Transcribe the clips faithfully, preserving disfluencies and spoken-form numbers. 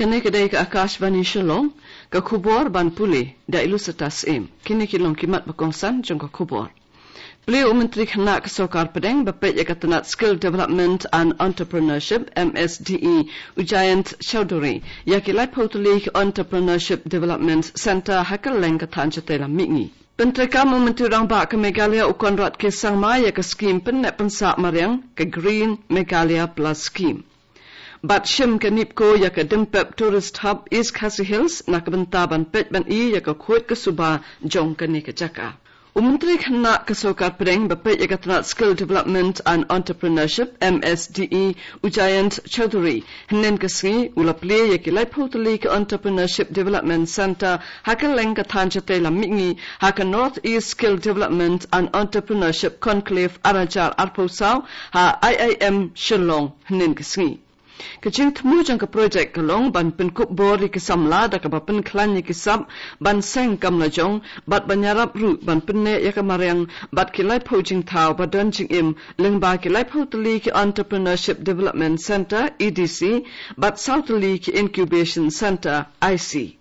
Kane ka dei ka Akashvani Shillong, ka khubor ban pule da i Lucetta Syiem. Kine ki long ki mat ba kongsan jong ka khubor. Plie u Myntri Khynnah ka Sorkar Pdeng ba peit ïa ka tnat Skill Development and Entrepreneurship, M S D E, u Jayant Chaudhary, ïa ki laiphew tylli ki Entrepreneurship Development Centre ha kylleng ka thaiñ shatei lam mihngi. Pyntreikam u Myntri Rangbah ka Meghalaya u Conrad K Sangma ïa ka skhim pynneh pynsah mariang, ka Green Meghalaya Plus Scheme. Bad shim ka NEEPCO ïa ka Dympep Tourist Hub East Khasi Hills na ka bynta ban peit ban i ïa ka khuid ka suba jong kane ka jaka. U Myntri Khynnah ka Sorkar Pdeng ba peit ïa ka tnat Skill Development and Entrepreneurship, M S D E, u Jayant Chaudhary, hynnin ka sngi u la plie ïa ki laiphew tylli ki Entrepreneurship Development Centre ha kylleng ka thaiñ shatei lam mihngi ha ka North East Skill Development and Entrepreneurship Conclave ar hajar arphew saw ha I I M Shillong hynnin ka sngi. Ka jingthmu jong ka projek ka long ban pynkup bor ïa ki samla da kaba pynkhlaiñ ïa ki sap ban seng kam lajong, bad ban ïarap ruh ban pynneh ïa ka mariang bad ki laiphew jingthaw ba don jingim, lyngba ki laiphew tylli ki Entrepreneurship Development Centre, E D C, bad saw tylli ki Incubation Centre, I C.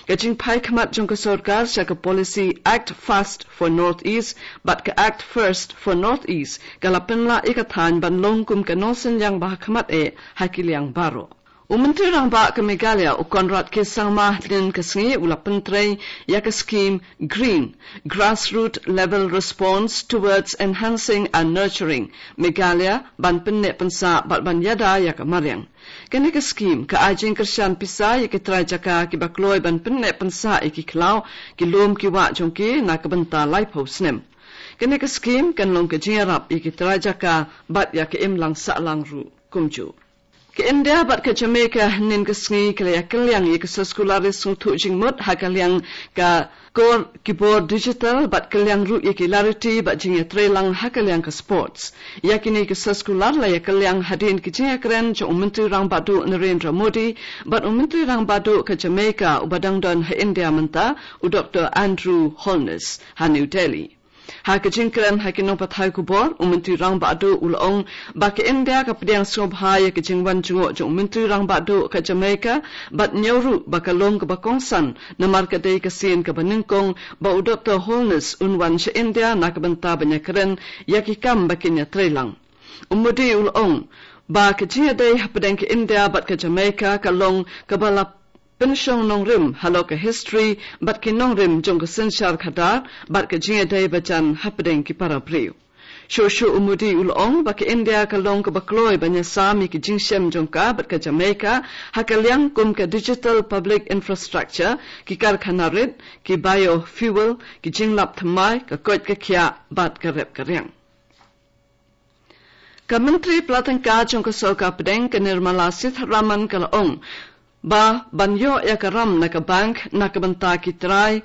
Ka jingphai khmat jong ka sorkar sha ka policy Act Fast for North East bad ka Act First for North East ka la pynlah ïa ka thaiñ ban long kum ka nongsynñiang ba ha khmat eh ha ki liang baroh. U Myntri Rangbah ka Meghalaya u Conrad K Sangma hynnin ka sngi u la pyntrei ïa ka skhim Green, Grassroot Level Response Towards Enhancing and Nurturing Meghalaya ban pynneh pynsah bad ban ïada ïa ka mariang. Kane ka skhim ka ai jingkyrshan pisa ïa ki trai jaka kiba kloi ban pynneh pynsah ïa ki khlaw, ki lum ki wah jong ki na ka bynta laiphew snem. Kane ka skhim kan long ka jingïarap ïa ki trai jaka bad ïa ka imlang sahlang ruh kumjuh. Ka India bad ka Jamaica hynnin ka sngi ka la ïa kylliang ïa ka soskular ri sngewthuh jingmut ha ka liang ka kor ki bor digital bad kylliang ruh ïa ki lariti bad jingïatreilang ha ka liang ka sports. Ïa kine ki soskular la ïa kylliang hadien ki jingïakren jong u Myntri Rangbah Duh Narendra Modi bad u Myntri Rangbah Duh ka Jamaica uba dang don ha India mynta, u Doktor Andrew Holness, ha New Delhi. Ha ka jingkren ha ki nongpathai khubor, u Myntri Rangbah Duh u la ong ba ka India ka pdiang sngewbha ïa ka jingwan jngoh jong u Myntri Rangbah Duh ka Jamaica bad ñiew ruh ba ka long kaba kongsan, namar ka dei ka sien kaba nyngkong ba u Doktor Holness un wan sha India na ka bynta ban ïakren ïa ki kam ba kin ïatreilang. U Modi u la ong ba ka jingïadei hapdeng ka India bad ka Jamaica ka long kaba la pynshong nongrim halor ka history bad ki nongrim jong ka synshar khadar bad ka jingïadei bajan hapdeng ki para briew. Shuh shuh u Modi u la ong ba ka India ka long kaba kloi ban ïasam ïa ki jingshem jong ka bad ka Jamaica ha ka liang kum ka digital public infrastructure, ki karkhana rit, ki biofuel, ki jinglap thymmai, ka koit ka khiah bad ka rep ka riang. Ka Myntri Pla Tyngka jong ka Sorkar Pdeng ka Nirmala Sitharaman ka la ong ba ban ïoh ïa ka ram na ka bank na ka bynta ki trai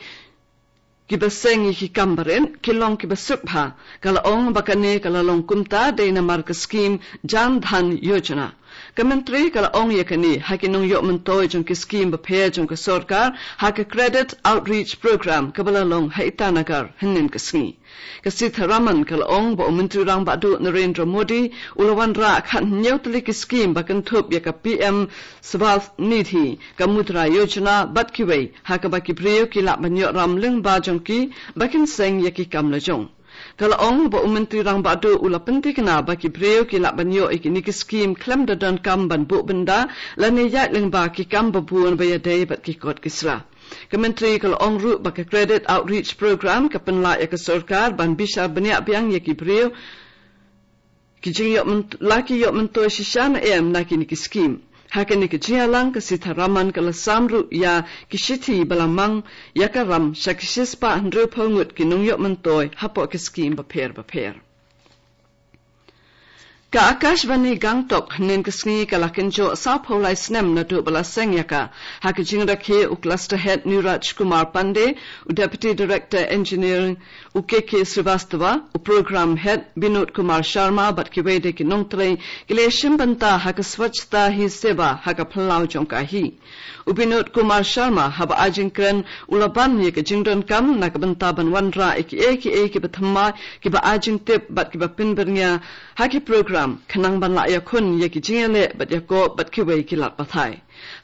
kiba seng ïa ki kam barit ki long kiba suk bha. Ka la ong ba kane ka la long kumta dei namar ka skhim Jan Dhan Yojana. Ka Myntri ka la ong ïa kane ha ki nongïoh myntoi jong ki skhim bapher jong ka sorkar ha ka Credit Outreach Program kaba la long ha Itanagar hynnin ka sngi. Ka Sitharaman ka la ong ba u Myntri Rangbah Duh Narendra Modi u la wanrah khathynñiew tylli ki skhim ba kynthup ïa ka P M Swanithi, ka Mudra Yojana bad kiwei, ha kaba ki briew ki lah ban ïoh ram lyngba jong ki ba kin seng ïa ki kam lajong. Ka la ong ba u Myntri Rangbah Duh u la pynthikna ba ki briew ki lah ban ïoh ïa kine ki skhim khlem da donkam ban buh bynda lane ïaid lyngba ki kam babun ba ïadei bad ki kot ki sla. Ka Myntri ka la ong ruh ba ka Credit Outreach Program ka pynlah ïa ka sorkar ban bishar bniah biang ïa ki briew ki jingïoh myn-, la ki ïoh myntoi shisha ne em na kine ki skhim. Ha kane ka jingïalang ka Sitharaman ka la sam ruh ïa ki shithi ba la mang ïa ka ram sha ki shispah hynriewphew ngut ki nongïoh myntoi hapoh ki skhim bapher bapher. Ka Akashvani Gangtok hynnin ka sngi ka la kynjoh sawphew lai snem naduh ba la seng ïa ka. Ha ka jingrakhe u Cluster Head Niraj Kumar Pandey, u Deputy Director Engineering u K K Srivastava, u Program Head Binod Kumar Sharma bad kiwei de ki nongtrei ki la shim bynta ha ka Swachhata Hi Seva ha ka phyllaw jong ka hi. U Binod Kumar Sharma haba ai jingkren u la ban ïa ka jingdonkam na ka bynta ban wanrah ïa kiei kiei kiba thymmai, kiba ai jingtip bad kiba pynbyrngia ha ki program kam, khnang ban lah ïakhun ïa ki jingïaleh bad ïakob bad kiwei ki lad pathai.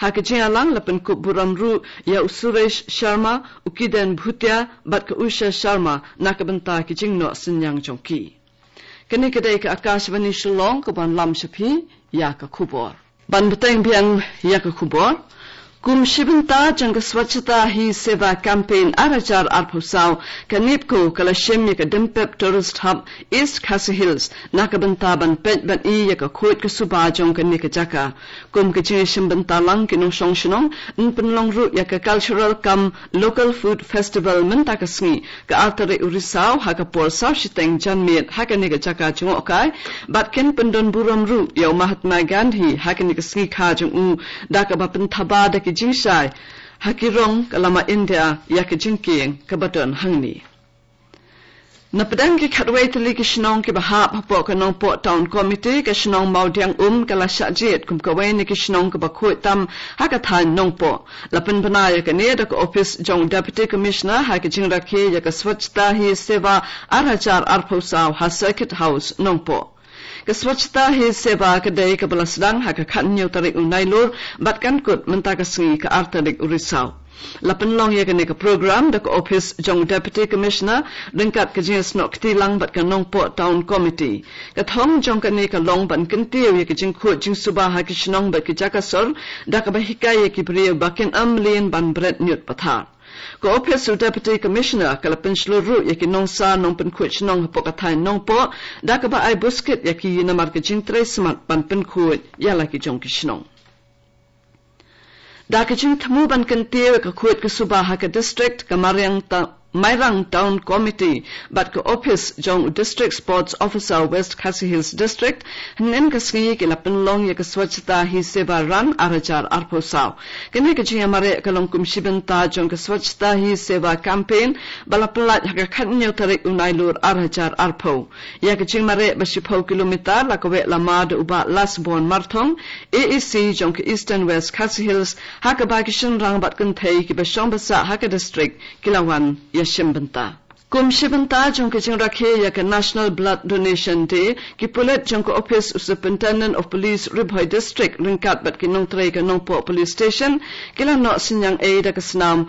Ha ka jingïalang la pynkup burom ruh ïa u Suresh Sharma, u Kiden Bhutia bad ka Usha Sharma na ka bynta ki jingnoh synñiang jong ki. Kane ka dei ka Akashvani Shillong kaban lam sha phi ïa ka khubor. Ban bteng biang ïa ka khubor. Kum shi bynta jong ka Swachhata Hi Seva Campaign ar hajar arphew saw, ka NEEPCO ka la shim ïa ka Dympep Tourist Hub East Khasi Hills na ka bynta ban peit ban i ïa ka khuid ka suba jong kane ka jaka. Kum ka jingïashim bynta lang ki nongshong shnong, yn pynlong ruh ïa ka Cultural cum Local Food Festival mynta ka sngi, ka ar tarik u Risaw, ha ka por saw shiteng janmiet ha kane ka jaka jngohkai, bad kin pyndon burom ruh ïa u Mahatma Gandhi ha kane ka sngi kha jong u, da kaba pynthaba da ki jingshai ha ki rong ka lama India ïa ka jingkieng kaba don hangne. Na pdeng ki khatwei tylli ki shnong kiba hap hapoh ka Nongpoh Town Committee, ka shnong Mawdiangum ka la shah jied kum kawei na ki shnong kaba khuid tam ha ka thaiñ Nongpoh. La pynbna ïa kane da ka ophis jong Deputy Commissioner ha ka jingrakhe ïa ka Swachhata Hi Seva ar hajar arphew saw ha Circuit House Nongpoh. Ka Swachhata Hi Seva ka dei kaba la sdang ha ka khathynñiew tarik u Nailur bad kan kut mynta ka sngi ka ar tarik u Risaw. La pynlong ïa kane ka program da ka ophis jong Deputy Commissioner ryngkat ka jingïasnoh kti lang bad ka Nongpoh Town Committee. Ka thong jong kane ka long ban kyntiew ïa ka jingkhuid jingsuba ha ki shnong bad ki jaka sor, da kaba hikai ïa ki briew ba kin ym lien ban bret ñiut pathar. Ka ophis u Deputy Commissioner ka la pynshlur ruh ïa ki nongsar nongpynkhuid shnong hapoh ka thaiñ Nongpoh, da kaba ai buskit ïa ki namar ka jingtrei smat ban pynkhuid ïa la ki jong ki shnong. Da ka jingthmu ban kyntiew ïa ka khuid ka suba ha ka district, ka Mariang Ta-, Mairang Town Committee bad ka ophis jong u District Sports Officer West Khasi Hills District, hynnin ka sngi ki la pynlong ïa ka Swachhata Hi Seva Run ar hajar arphew saw. Kane ka jingïamareh ka long kum shi bynta jong ka Swachhata Hi Seva Campaign ba la pynlait ha ka khathynñiew tarik u Nailur ar hajar arphew. Ïa ka jingmareh ba shiphew kilometer la kaweh lama da u Bah Lasbon Marthong, A E C jong ka Eastern West Khasi Hills, ha kaba ki shynrang bad kynthei kiba shong ba sah ha ka district ki la wan ïashim bynta. Kum shi bynta jong ka jingrakhe ïa ka National Blood Donation Day, ki pulit jong ka ophis u Superintendent of Police Ri Bhoi District ryngkat bad ki nongtrei ka Nongpoh Police Station ki la noh synñiang ei da ka snam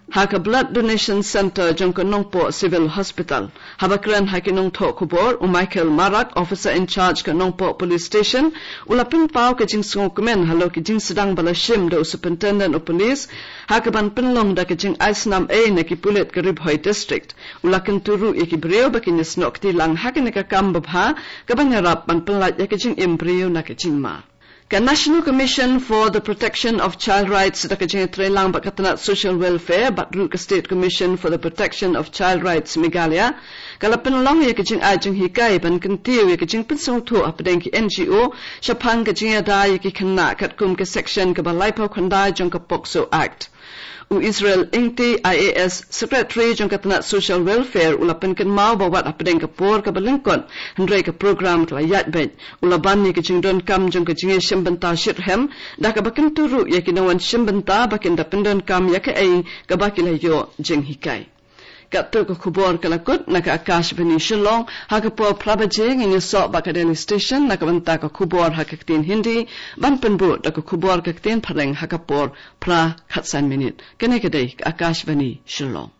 ha ka Blood Donation Centre jong ka Nongpoh Civil Hospital. Haba kren ha ki nongthoh khubor, u Michael Marak, Officer in Charge ka Nongpoh Police Station, u la pynpaw ka jingsngewkmen halor ka jingsdang ba la shim da u Superintendent of Police ha kaban pynlong da ka jingai snam ei na ki pulit ka Ri Bhoi District. U la kyntu ruh ïa ki briew ba kin ïasnoh kti lang ha kane ka kam babha kaban ïarap ban pynlait ïa ka jingim briew na ka jingma. Ka National Commission for the Protection of Child Rights da ka jingïatreilang bad ka tnat Social Welfare bad ruh ka State Commission for the Protection of Child Rights Meghalaya ka la pynlong ïa ka jingai jinghikai ban kyntiew ïa ka jingpynsngewthuh hapdeng ki N G O shaphang ka jingïada ïa ki khynnah katkum ka section kaba laiphew khyndai jong ka POCSO Act. U Israel Ingti, I A S, Secretary jong ka tnat Social Welfare, u la pynkynmaw ba wat hapdeng ka por kaba lyngkot, hynrei ka program ka la ïaid beit. U la ban ïa ka jingdonkam jong ka jingïashim bynta shitrhem, da kaba kyntu ruh ïa ki nongwan shim bynta ba kin da pyndonkam ïa kaei kaba ki la ïoh jinghikai. Katto ka khubor ka la kut na ka Akashvani Shillong, ha ka por phra baje ngin ïasoh bad ka Delhi Station na ka bynta ka khubor ha ka ktien Hindi, ban pynbud da ka khubor ka ktien Phareng ha ka por phra khatsan minit. Kane ka dei ka Akashvani Shillong.